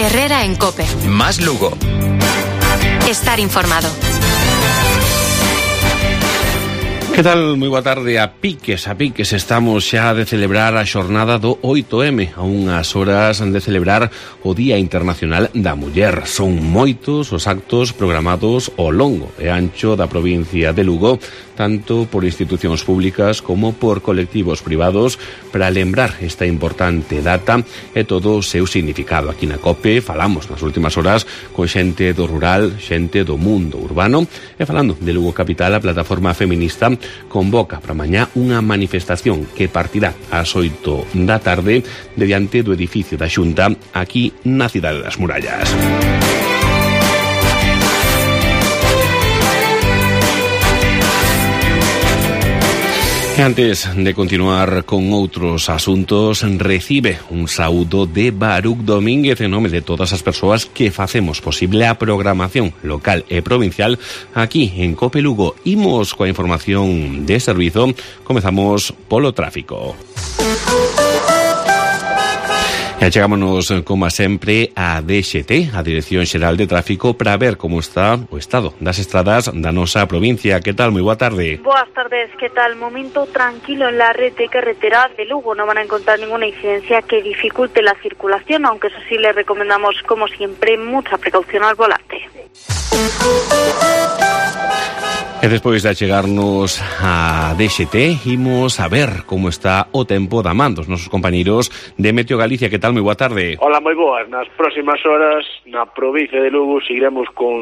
Herrera en COPE. Más Lugo. Estar informado. Que tal? Moi boa tarde. A piques estamos xa de celebrar a xornada do 8M, a unhas horas de celebrar o Día Internacional da Muller. Son moitos os actos programados ao longo e ancho da provincia de Lugo, tanto por institucións públicas como por colectivos privados, para lembrar esta importante data e todo o seu significado. Aquí na COPE falamos nas últimas horas con xente do rural, xente do mundo urbano, e falando de Lugo Capital, a plataforma feminista convoca para mañá unha manifestación que partirá ás 8 da tarde de diante do edificio da Xunta aquí na Cidade das Murallas. E antes de continuar con outros asuntos, recibe un saúdo de Baruch Domínguez en nome de todas as persoas que facemos posible a programación local e provincial aquí en COPE Lugo. Imos coa información de servizo. Comezamos polo tráfico. E chegámonos, como sempre, a DXT, a Dirección Xeral de Tráfico, para ver como está o estado das estradas da nosa provincia. Que tal? Moi boa tarde. Boas tardes, que tal? Momento tranquilo en la red de carreteras de Lugo. No van a encontrar ninguna incidencia que dificulte la circulación, aunque eso sí les recomendamos, como siempre, mucha precaución al volante. E despois de achegarnos a DXT, imos a ver como está o tempo da man dos nosos compañeiros de Meteo Galicia. Que tal? Moi boa tarde. Hola, moi boas. Nas próximas horas na provincia de Lugo seguiremos con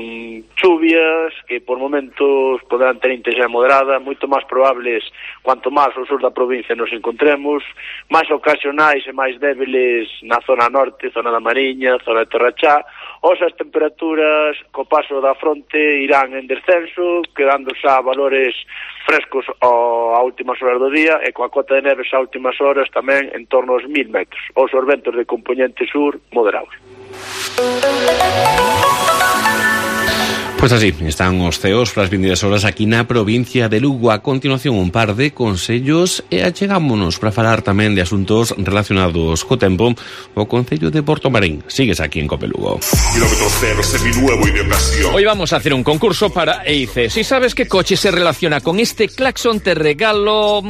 chuvias que por momentos poderán ter intensidade moderada, moito máis probables cuanto máis ao sur da provincia nos encontremos, máis ocasionais e máis débiles na zona norte, zona da Mariña, zona de Torrachá. As temperaturas co paso da fronte irán en descenso, quedando xa valores frescos a últimas horas do día, e coa cota de neves a últimas horas tamén en torno aos 1000 metros. Os ventos de componente sur moderados. Pois así están os ceos para as vindeiras horas aquí na provincia de Lugo. A continuación, un par de consellos e achegámonos para falar tamén de asuntos relacionados co tempo. O Concello de Portomarín. Sigues aquí en COPE Lugo. Kilómetro cero, seminuevo y de ocasión. Hoy vamos a hacer un concurso para EIC. Si sabes qué coche se relaciona con este claxon, te regalo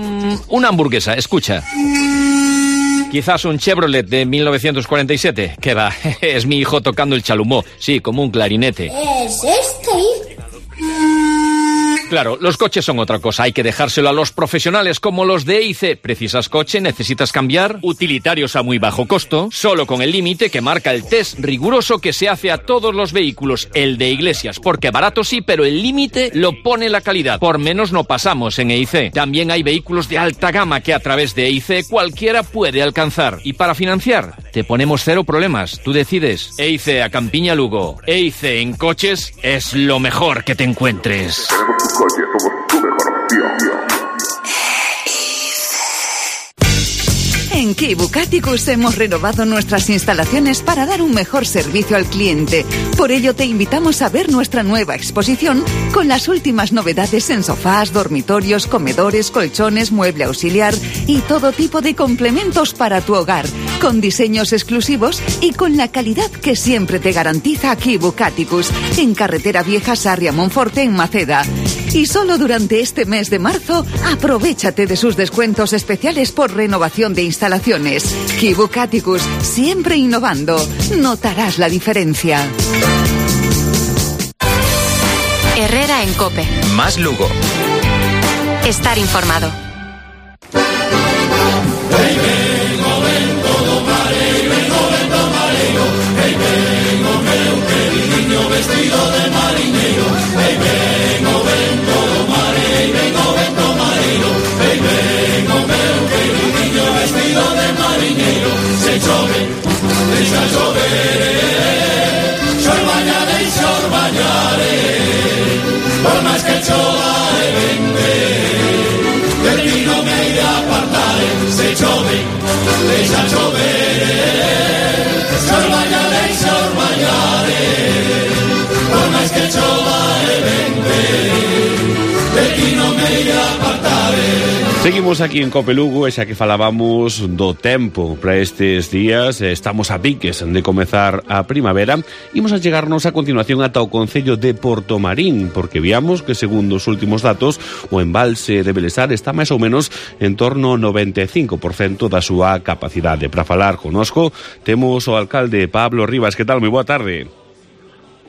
una hamburguesa. Escucha. Quizás un Chevrolet de 1947. ¿Qué va? Es mi hijo tocando el chalumó. Sí, como un clarinete. ¿Es este? Claro, los coches son otra cosa. Hay que dejárselo a los profesionales como los de EIC. ¿Precisas coche? ¿Necesitas cambiar? Utilitarios a muy bajo costo. Solo con el límite que marca el test riguroso que se hace a todos los vehículos. El de Iglesias. Porque barato sí, pero el límite lo pone la calidad. Por menos no pasamos en EIC. También hay vehículos de alta gama que a través de EIC cualquiera puede alcanzar. Y para financiar, te ponemos cero problemas. Tú decides. EIC a Campiña Lugo. EIC en coches es lo mejor que te encuentres. Somos tu mejor opción. En Kibucaticus hemos renovado nuestras instalaciones para dar un mejor servicio al cliente. Por ello te invitamos a ver nuestra nueva exposición con las últimas novedades en sofás, dormitorios, comedores, colchones, mueble auxiliar y todo tipo de complementos para tu hogar, con diseños exclusivos y con la calidad que siempre te garantiza Kibucaticus, en Carretera Vieja Sarria-Monforte en Maceda. Y solo durante este mes de marzo, aprovéchate de sus descuentos especiales por renovación de instalaciones. Kibucaticus, siempre innovando. Notarás la diferencia. Herrera en COPE. Más Lugo. Estar informado. Vestido de marinero, hey, vengo, ven todo mare, vengo, ven todo marino, hey, vengo, ven, queridinho, vestido de marinero, se chove, deixa chover, xor bañare, xor bañare, por máis que chova e vende, de ti non me iré a apartar, se chove, deixa chover, xor bañare, xor bañare, por máis que chova e vente, de ti non me iré a apartar. Seguimos aquí en Cope Lugo, e xa que falábamos do tempo para estes días, estamos a piques de comezar a primavera. Imos a chegarnos a continuación ata o concello de Portomarín, porque viamos que, segundo os últimos datos, o embalse de Belesar está máis ou menos en torno ao 95% da súa capacidade. Para falar conosco, temos o alcalde Pablo Rivas. Que tal? Moi boa tarde.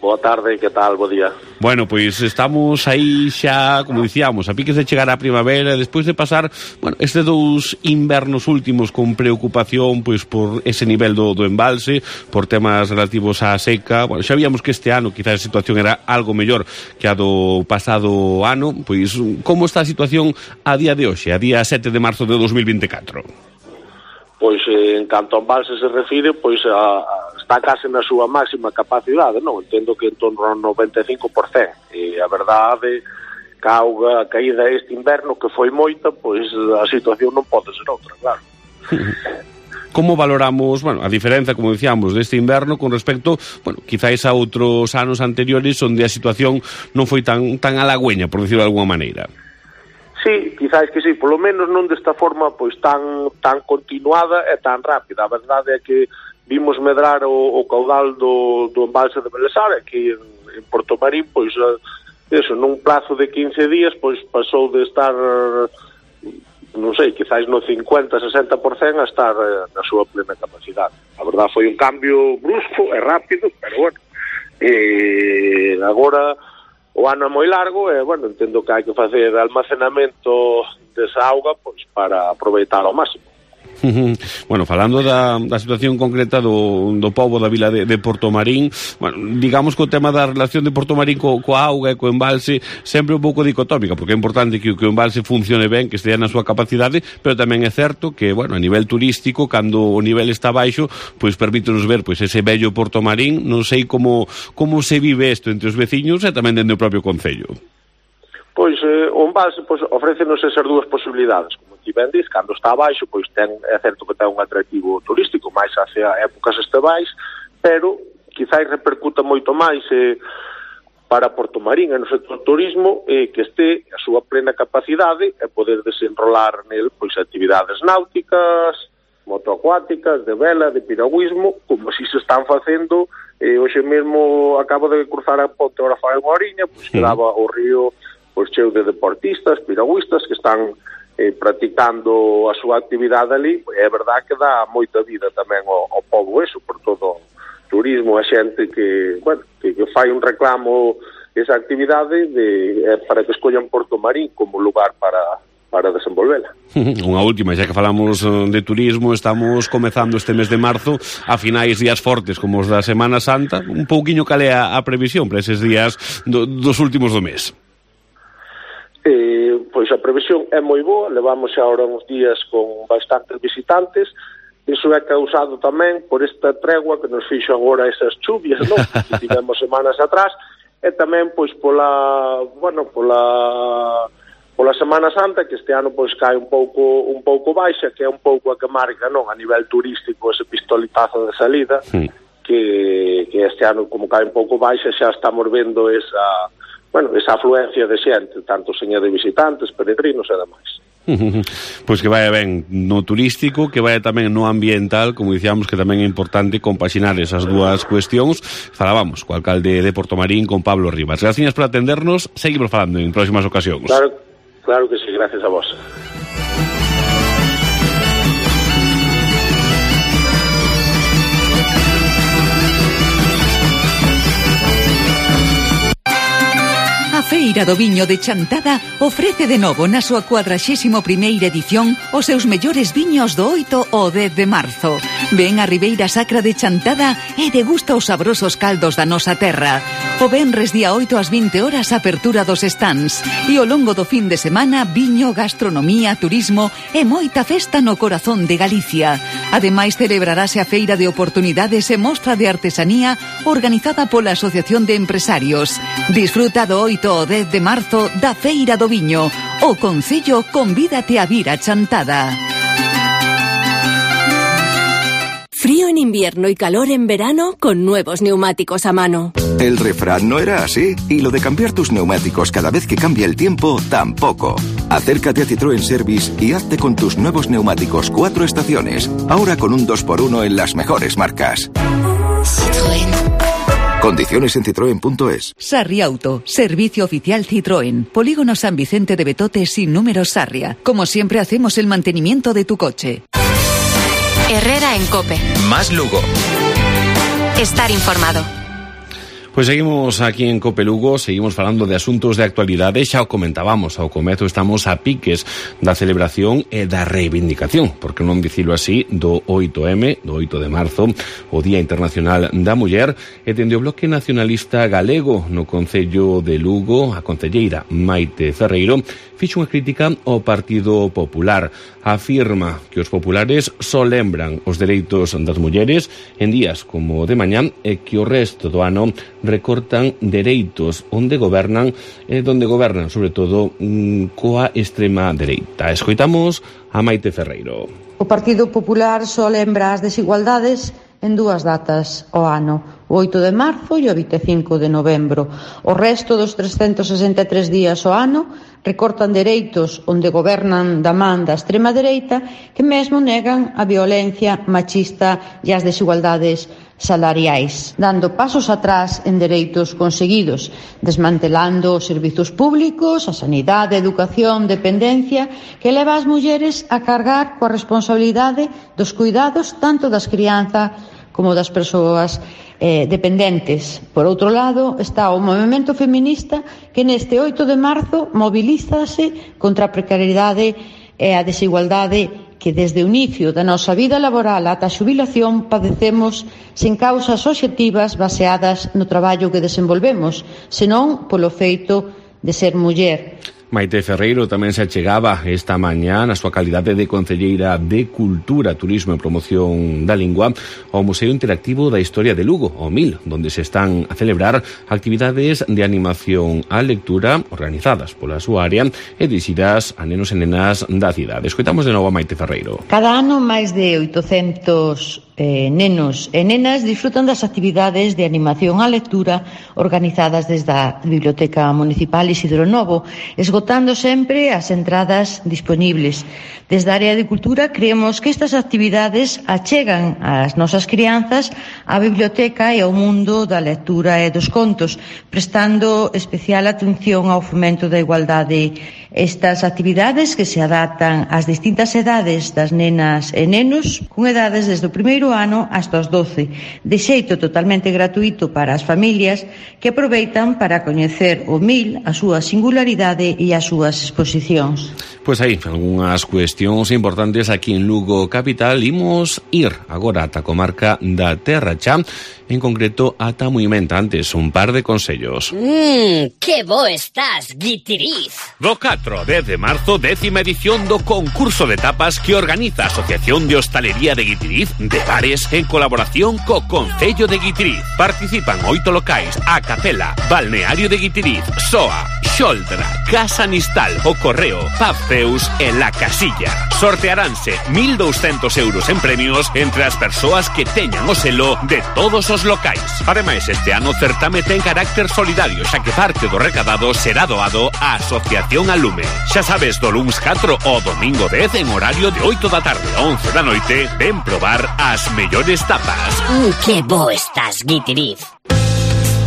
Boa tarde, que tal? Bo día. Bueno, pois estamos aí xa, como dicíamos, a piques de chegar a primavera, despois de pasar, bueno, estes dous invernos últimos con preocupación pois por ese nivel do embalse, por temas relativos á seca. Bueno, xa víamos que este ano quizás a situación era algo mellor que a do pasado ano. Pois como está a situación a día de hoxe, a día 7 de marzo de 2024? Pois en canto a embalse se refire, pois está case na súa máxima capacidade, non? Entendo que en torno ao 95%. E a verdade, que a auga caída este inverno, que foi moita, pois a situación non pode ser outra, claro. Como valoramos, bueno, a diferenza, como dicíamos, deste inverno con respecto, bueno, quizáis a outros anos anteriores onde a situación non foi tan halagüeña, por decirlo de alguma maneira? Sí, quizás que sí, polo menos non desta forma pois tan continuada e tan rápida. A verdade é que vimos medrar o caudal do embalse de Belesar aquí en Portomarín, pois eso, nun plazo de 15 días, pois pasou de estar, non sei, quizás no 50-60% a estar na súa plena capacidade. A verdade foi un cambio brusco e rápido, pero bueno, agora o ano é moi largo e, bueno, entendo que hai que facer almacenamento desa auga pois para aproveitar ao máximo. Bueno, falando da situación concreta do pobo da vila de Portomarín, bueno, digamos que o tema da relación de Portomarín coa auga e co embalse sempre un pouco dicotómica, porque é importante que o embalse funcione ben, que estea na súa capacidade, pero tamén é certo que, bueno, a nivel turístico, cando o nivel está baixo, pois permítenos ver pois ese bello Portomarín. Non sei como se vive isto entre os veciños e tamén dentro do propio concello. Pois o embalse pois, ofrécenos esas dúas posibilidades. Como ti ben dis, cando está abaixo, pois é certo que ten un atractivo turístico máis hacia épocas estivais, pero quizás repercuta moito máis para Portomarín e no sector turismo que este a súa plena capacidade e poder desenrolar nel pois actividades náuticas, motoacuáticas, de vela, de piragüismo, como si se están facendo. Hoxe mesmo acabo de cruzar a ponte, ahora fai unha horiña, pois quedaba o río pois cheo de deportistas, piragüistas que están practicando a súa actividade ali. É verdade que dá moita vida tamén ao pobo eso, por todo o turismo, a xente que, bueno, que fai un reclamo esa actividade para que escollan Portomarín como lugar para desenvolvela. Unha última, xa que falamos de turismo, estamos comezando este mes de marzo a finais días fortes como os da Semana Santa. Un pouquiño cal é a previsión para eses días dos últimos do mes? Pois a previsión é moi boa, levamos xa ahora uns días con bastantes visitantes. Iso é causado tamén por esta tregua que nos fixo agora esas chuvias, non? Que tivemos semanas atrás, e tamén pois pola Semana Santa, que este ano pois cae un pouco baixa, que é un pouco a que marca, non, a nivel turístico ese pistoletazo de salida, que este ano como cae un pouco baixa xa estamos vendo esa afluencia de xente, tanto seña de visitantes, peregrinos e demais. Pois que vaya ben no turístico, que vaya tamén no ambiental, como dicíamos que tamén é importante compaxinar esas dúas cuestións. Falábamos co alcalde de Portomarín, con Pablo Rivas. Gracias por atendernos, seguimos falando en próximas ocasións. Claro que sí, gracias a vos. A Feira do Viño de Chantada ofrece de novo na súa 41ª edición os seus mellores viños do 8 ao 10 de marzo. Ven a Ribeira Sacra de Chantada e degusta os sabrosos caldos da nosa terra. O venres día 8 ás 20 horas apertura dos stands e ao longo do fin de semana viño, gastronomía, turismo e moita festa no corazón de Galicia. Ademais celebrarase a Feira de Oportunidades e Mostra de Artesanía organizada pola Asociación de Empresarios. Disfruta do 8 ao 10 de marzo da Feira do Viño. O Concello convídate a vir a Chantada. Frío Frío en invierno y calor en verano con nuevos neumáticos a mano. El refrán no era así, y lo de cambiar tus neumáticos cada vez que cambia el tiempo, tampoco. Acércate a Citroën Service y hazte con tus nuevos neumáticos 4 estaciones, ahora con un 2x1 en las mejores marcas. Citroën. Condiciones en citroen.es. Sarria Auto, servicio oficial Citroën. Polígono San Vicente de Betote sin número Sarria. Como siempre hacemos el mantenimiento de tu coche. Herrera en COPE. Más Lugo. Estar informado. Pois seguimos aquí en COPE Lugo, seguimos falando de asuntos de actualidade, xa o comentábamos ao comezo, estamos a piques da celebración e da reivindicación, porque non dicilo así, do 8M, do 8 de marzo, o Día Internacional da Muller, e dende o Bloque Nacionalista Galego no Concello de Lugo, a concelleira Maite Ferreiro fixo unha crítica ao Partido Popular. Afirma que os populares só lembran os dereitos das mulleres en días como de mañán e que o resto do ano recortan dereitos onde gobernan sobre todo coa extrema dereita. Escoitamos a Maite Ferreiro. O Partido Popular só lembra as desigualdades en 2 datas ao ano, o 8 de marzo e o 25 de novembro. O resto dos 363 días ao ano recortan dereitos onde gobernan da man da extrema dereita, que mesmo negan a violencia machista e as desigualdades salariais, dando pasos atrás en dereitos conseguidos, desmantelando os servizos públicos, a sanidade, a educación, dependencia, que leva as mulleres a cargar coa responsabilidade dos cuidados tanto das crianzas como das persoas dependentes. Por outro lado, está o movemento feminista que neste 8 de marzo mobilízase contra a precariedade e a desigualdade que desde o inicio da nosa vida laboral ata a xubilación padecemos sen causas obxectivas baseadas no traballo que desenvolvemos, senón polo feito de ser muller. Maite Ferreiro tamén se achegaba esta mañá na súa calidade de concelleira de Cultura, Turismo e Promoción da Lingua ao Museo Interactivo da Historia de Lugo, o MIL, donde se están a celebrar actividades de animación á lectura organizadas pola súa área e dirixidas a nenos e nenas da cidade. Escoitamos de novo a Maite Ferreiro. Cada ano máis de 800 nenos e nenas disfrutan das actividades de animación á lectura organizadas desde a Biblioteca Municipal Isidro Novo, esgotando sempre as entradas disponibles. Desde a área de cultura creemos que estas actividades achegan ás nosas crianzas á biblioteca e ao mundo da lectura e dos contos, prestando especial atención ao fomento da igualdade. Estas actividades que se adaptan ás distintas edades das nenas e nenos, con edades desde o primeiro ano hasta os 12, de xeito totalmente gratuito para as familias que aproveitan para coñecer o MIL, a súa singularidade e as súas exposicións. Pois aí, algunhas cuestións importantes aquí en Lugo Capital. Imos ir agora ata a comarca da Terra Cha, en concreto ata Muimenta. Antes, un par de consellos. Que bo estás, Guitiriz. Do 4 ao 10 de marzo, 10ª edición do concurso de tapas que organiza a Asociación de Hostalería de Guitiriz de Bares en colaboración co Concello de Guitiriz. Participan 8 locais: A Capela, Balneario de Guitiriz, Soa, Xoldra, Casa Nistal, O Correo, Pabceus e La Casilla. Sortearánse 1.200 euros en premios entre as persoas que teñan o selo de todos os locais. Ademais, este ano o certame ten carácter solidario, xa que parte do recadado será doado á Asociación Alume. Xa sabes, do luns 4 ao domingo 10 en horario de 8 da tarde a 11 da noite, ven probar as mellores tapas. Que bo estás, Guitiriz.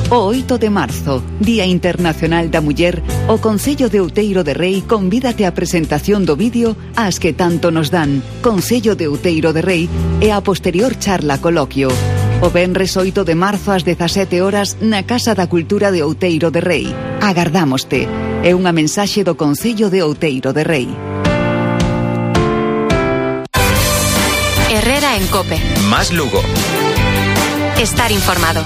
O 8 de marzo, Día Internacional da Muller, o Concello de Outeiro de Rei convídate á presentación do vídeo As que tanto nos dan, Concello de Outeiro de Rei, e a posterior charla coloquio. O venres 8 de marzo ás 17 horas na Casa da Cultura de Outeiro de Rei. Agardámoste. É unha mensaxe do Concello de Outeiro de Rei. Herrera en COPE. Más Lugo. Estar informado.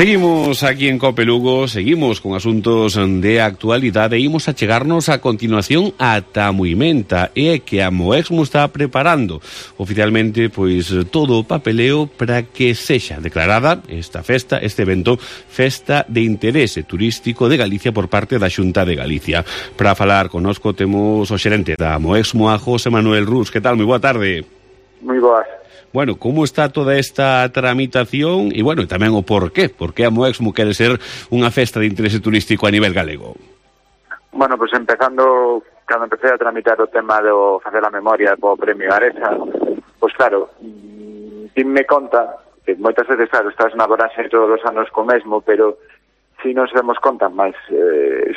Seguimos aquí en Cope Lugo, seguimos con asuntos de actualidade e imos a chegarnos a continuación ata Muimenta, e que a Moexmo está preparando oficialmente pois todo o papeleo para que sexa declarada esta festa, este evento, Festa de Interese Turístico de Galicia por parte da Xunta de Galicia. Para falar connosco temos o xerente da Moexmo, a José Manuel Rus. Que tal? Moi boa tarde. Moi boas. Bueno, como está toda esta tramitación e, bueno, tamén o porqué? Por que a Moexmo quere ser unha festa de interese turístico a nivel galego? Bueno, pues empezando, cando empecé a tramitar o tema do facer a memoria do Premio Aresa, pues claro, dime conta que moitas veces, claro, estás na voraxe todos os anos co mesmo, pero si nos demos conta máis,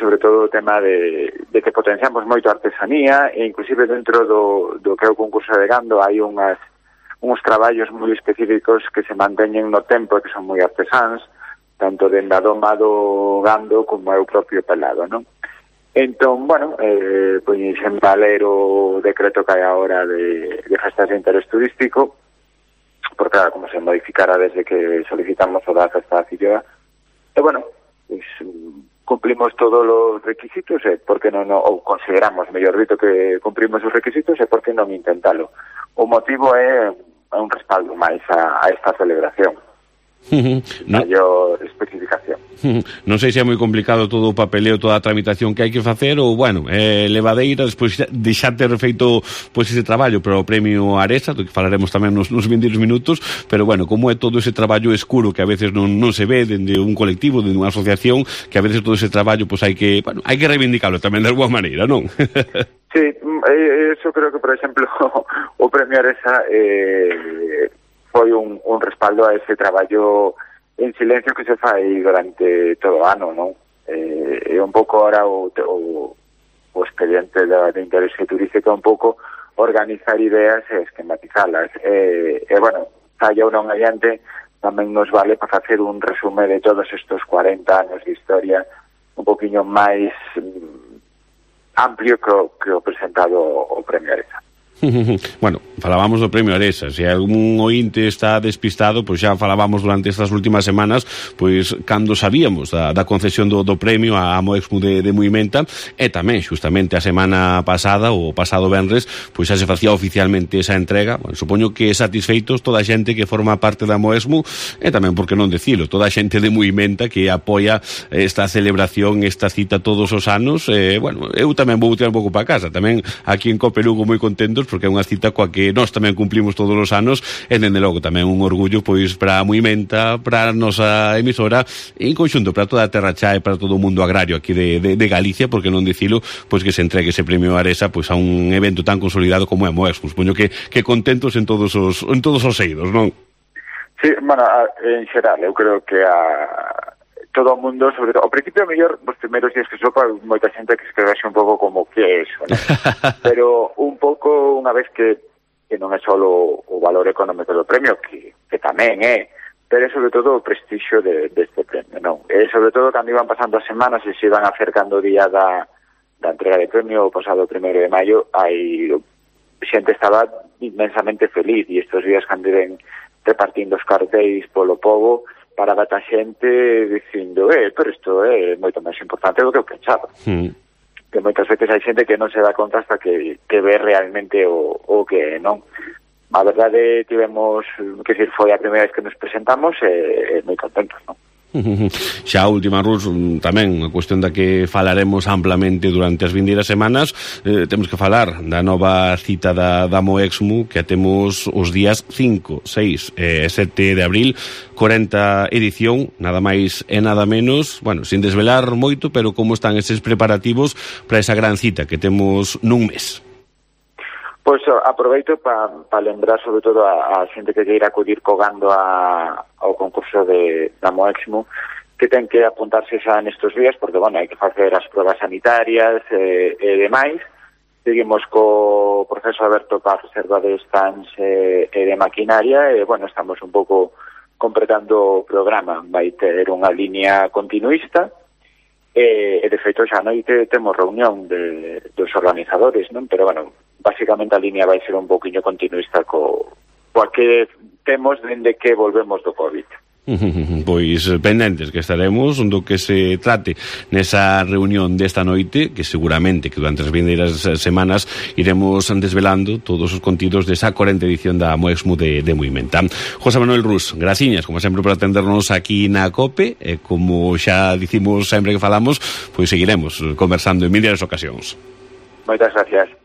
sobre todo o tema de que potenciamos moito a artesanía, e inclusive dentro do que é o concurso de gando hai uns traballos moi específicos que se manteñen no tempo e que son moi artesáns, tanto dende a doma do gando como é o propio pelado, non? Entón, bueno, pois en valer o decreto que hai agora de festas de interés turístico, porque como se modificara desde que solicitamos o da festa da Filloa, e bueno, pois cumplimos todos os requisitos, e por que non, ou consideramos, mellor dito, que cumplimos os requisitos, e por que non intentalo. O motivo é un respaldo máis a esta celebración. Maior especificación. Non sei se é moi complicado todo o papeleo, toda a tramitación que hai que facer, ou, bueno, levadeira, despois de xa ter feito pois ese traballo para o Premio Aresa, do que falaremos tamén nos 20 minutos, pero, bueno, como é todo ese traballo escuro que a veces non se ve dende un colectivo, dende unha asociación, que a veces todo ese traballo pois hai que reivindicarlo tamén de alguma maneira, non? Sí, eso creo que, por exemplo, o Premio Aresa foi un respaldo a ese traballo en silencio que se fai durante todo o ano, non? E un pouco ahora o expediente de interese turístico é un pouco organizar ideas e esquematizalas. E bueno, falla ou non adiante, tamén nos vale para facer un resume de todos estos 40 anos de historia un poquinho máis amplio que o presentado o Premio Aresa. Bueno, falábamos do Premio Aresa. Se algún ointe está despistado, pois xa falábamos durante estas últimas semanas, pois cando sabíamos da concesión do premio a Moexmo de Muimenta, e tamén xustamente a semana pasada, o pasado venres, pois xa se facía oficialmente esa entrega. Bueno, supoño que satisfeitos toda a xente que forma parte da Moexmo, e tamén, por que non decilo, toda a xente de Muimenta que apoia esta celebración, esta cita todos os anos. Bueno, eu tamén vou tirar un pouco para casa, tamén aquí en Cope Lugo moi contentos, porque é unha cita coa que nós tamén cumplimos todos os anos, e dende logo tamén un orgullo pois para a Muimenta, para a nosa emisora, e en conxunto para toda a terra xa e para todo o mundo agrario aquí de Galicia, porque non dicilo, pois que se entregue ese Premio Aresa pois a un evento tan consolidado como é Moexmo. Supoño que contentos en todos os eidos, non? Sí, bueno, en xeral, eu creo que todo o mundo, sobre todo, ao principio, mellor, os primeiros días que sopa, moita xente que escrevese un pouco como que é eso, ¿no? Pero un pouco, unha vez que non é só o valor económico do premio, que tamén é, pero é sobre todo o prestixio deste premio, non? E sobre todo, cando iban pasando as semanas e se iban acercando o día da entrega de premio, o pasado 1 de maio, hai xente estaba inmensamente feliz, e estes días cando iban repartindo os cartéis polo pobo, para a xente dicindo, pero isto é moito máis importante do que eu pensaba. Que moitas veces hai xente que non se dá conta hasta que ve realmente o que é, non? A verdade, tivemos, que decir, foi a primeira vez que nos presentamos e moi contentos, non? Xa a última, Rus, tamén a cuestión da que falaremos amplamente durante as vindeiras semanas. Temos que falar da nova cita da Moexmo, que temos os días 5, 6 e 7 de abril, 40 edición, nada máis e nada menos. Bueno, sin desvelar moito, pero como están estes preparativos para esa gran cita que temos nun mes? Pois aproveito para lembrar sobre todo a xente que queira acudir cogando ao concurso da Moexmo, que ten que apuntarse xa nestes días, porque, bueno, hai que facer as pruebas sanitarias e demais. Seguimos co proceso aberto para a reserva de stands e de maquinaria, e, bueno, estamos un pouco completando o programa. Vai ter unha línea continuista, e de feito xa noite temos reunión dos organizadores, non? Pero, bueno, básicamente a línea vai ser un poquinho continuista coa que temos dende que volvemos do COVID. Pois pendentes que estaremos do que se trate nesa reunión desta noite, que seguramente que durante as vindeiras semanas iremos desvelando todos os contidos desa 40ª edición da Moexmu de Moimenta. José Manuel Rus, graciñas, como sempre, por atendernos aquí na COPE, e como xa dicimos sempre que falamos, pois seguiremos conversando en milhares de ocasións. Moitas gracias.